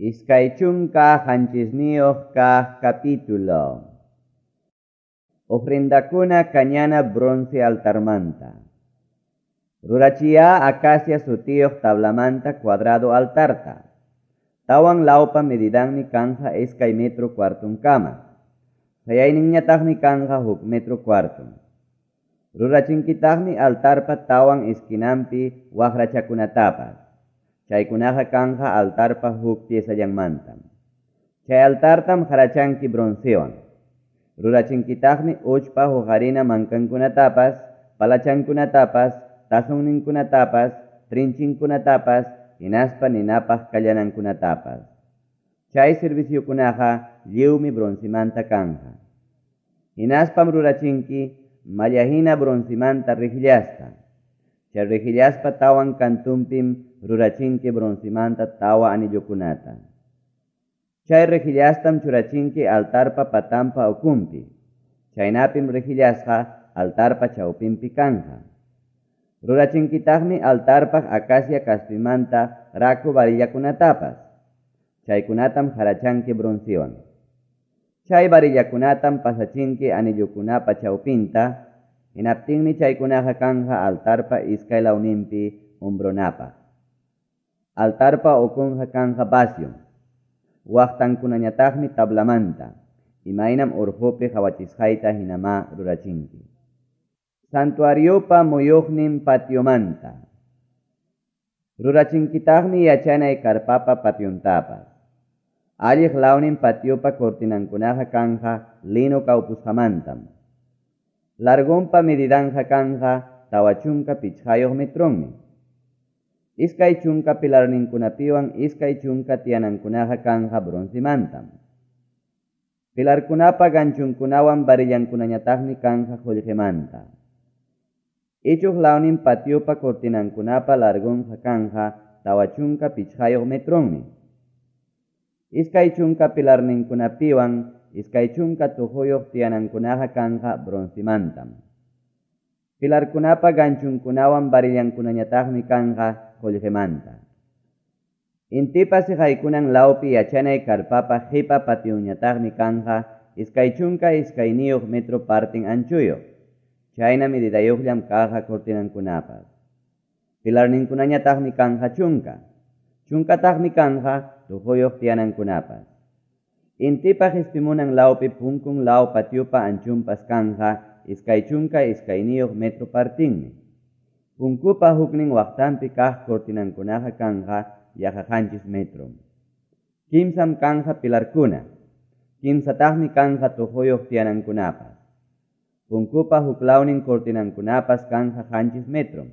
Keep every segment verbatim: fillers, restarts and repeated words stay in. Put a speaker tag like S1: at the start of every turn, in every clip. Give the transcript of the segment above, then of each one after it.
S1: Iskay chunka qanchisniyuq kaq capítulo. Ofrendakuna kañana bronce altarmanta. Rurachiya acacia sutiyuq tablamanta cuadrado altarta. Tawan lawpa medidanmi kanja iskay metro cuartunkama. Sayayninñataqmi kanja huk metro cuartun. Rurachinkitaqmi altarpa tawan esquinampi waqrachakunatapas. Chaykunaqa kanja altarpa huk piezallanmantam. Chay altartam harachanki broncewan. Rurachinkitaqmi uchpa huqarina mankankunatapas, palachankunatapas, tazonninkunatapas, trinchinkunatapas, hinaspa ninapaq kallanankunatapas. Chay serviciokunaqa lliwmi broncemanta kanja. Hinaspam rurachinki mallahina broncemanta rejillasta. Chay rejillaspa tawan kantunpim rurachinki broncemanta tawa anillukunata. Chay rejillastam churachinki altarpa patampa ukumpi. Chaynapim rejillasqa altarpa chawpinpi kanja. Rurachinkitaqmi altarpaq acacia kaspimanta raku varillakunatapas. Chaykunatam harachanki broncewan. Chay varillakunatam pasachinki anillukunapa chawpinta. Hinaptinmi chaykunaqa kanja altarpa iskay lawninpi hombronapaq. Altarpa ukunqa kanja vacium. Waqtankunañataqmi tablamanta. Imaynam urqupi qhawachisqayta hinamá rurachinki. Santuariopa muyuqnin patiomanta. Rurachinkitaqmi yachanay karpapa pationtapas. Alliq lawnin patiopa cortinankunaqa kanja lino kawpusqamantam. Largonpa medidanja kanja tawa chunka pichqayuq metronmi. Iskay chunka pilarninkunapiwan iskay chunka tiyanankunaqa kanja broncemantam. Pilarkunapa ganchunkunawan varillankunañataqmi kanja qullqimanta. Ichuq lawnin patiopa cortinankunapa largonqa kanja tawa chunka pichqayuq metronmi. Iskay chunka pilarninkunapiwan iskay chunka tuquyuq tiyanankunaqa kanja broncemantam. Pilarkunapa ganchunkunawan varillankunañataqmi kanja qullqimanta. Intipa siqaykunan lawpi yachanay karpapa qipa pationñataqmi kanja iskay chunka iskayniyuq metro partin anchuyuq. Chayna medidayuqllam kanja cortinankunapas. Pilarninkunañataqmi kanja chunka. Chunkataqmi kanja tuquyuq tiyanankunapas. Intipa qispimunan lawpi punkun law patiopa anchunpas kanja iskay chunka iskayniyuq metro partinmi. Punkupa huknin waqtanpi kaq cortinankunaqa kanja yaqa qanchis metro. Kimsam kanja pilarkuna. Kimsataqmi kanja tuquyuq tiyanankunapas. Punkupa huklawnin cortinankunapas kanja qanchis metro.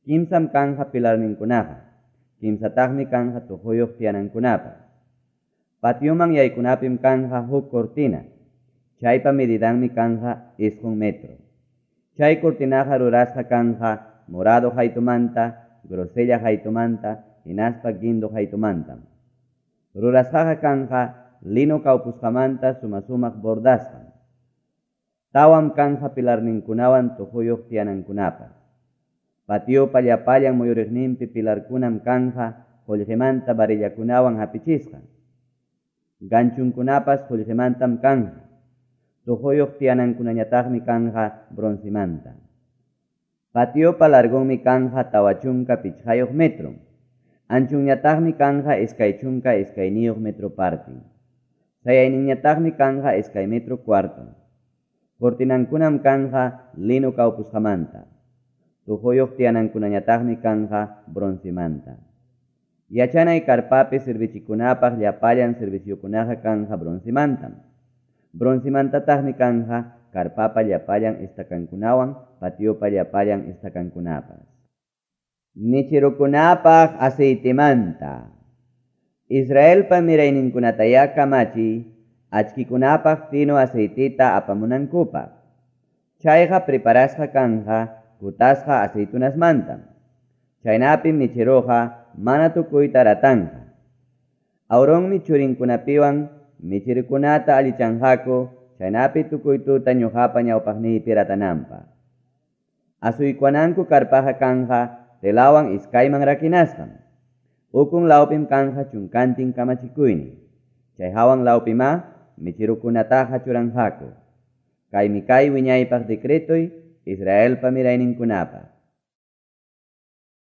S1: Kimsam kanja pilarninkunaqa. Kimsataqmi kanja tuquyuq tiyanankunapas. Patioman yaykunapim kanja huk cortina. Chaypa medidanmi kanja isqun metro. Chay cortinaqa rurasqa kanja morado haytumanta, grosella haytumanta, hinaspa guindo haytumantam. Rurasqaqa kanja lino kawpusqamanta suma-sumaq bordasqam. Tawam kanja pilarninkunawan tuquyuq tiyanankunapas. Patiopa llapallan muyuriqninpi pilarkunam kanja qullqimanta varillakunawan hapichisqa. Ganchunkunapas qullqimantam kanja. Tuquyuq tiyanankunañataqmi kanja broncemanta. Patiopa largonmi kanja tawa chunka pichqayuq metro. Anchunñataqmi kanja iskay chunka iskayniyuq metro partin. Sayayninñataqmi kanja iskay metro cuarto. Cortinankunam kanja lino kawpusqamanta. Tuquyuq tiyanankunañataqmi kanja broncemanta. Yachanay karpapi servichikunapaq llapallan serviciokunaqa kanja broncemantam. Broncemantataqmi kanja karpapa llapallan estacankunawan patiopa llapallan estacankunapas. Michirukunapaq aceitemanta. Israelpa mirayninkunataya kamachi achkikunapaq fino aceitita apamunankupaq. Chayqa preparasqa kanja kutasqa aceitunasmantam. Chaynapim michiruqa mana tukuyta ratanja. Aaronmi churinkunapiwan michirukunata allichanqaku chaynapi tukuy tuta ñuqapa ñawpaqniypi ratananpaq. Asuykuwananku karpaqa kanja telawan iskayman rakinasqam. Ukun lawpim kanqa chunkantin kamachikuynin. Chay hawan lawpimá mecherokunataqa churanqaku. Kaymi kay wiñaypaq decretoy Israelpa mirayninkunapaq.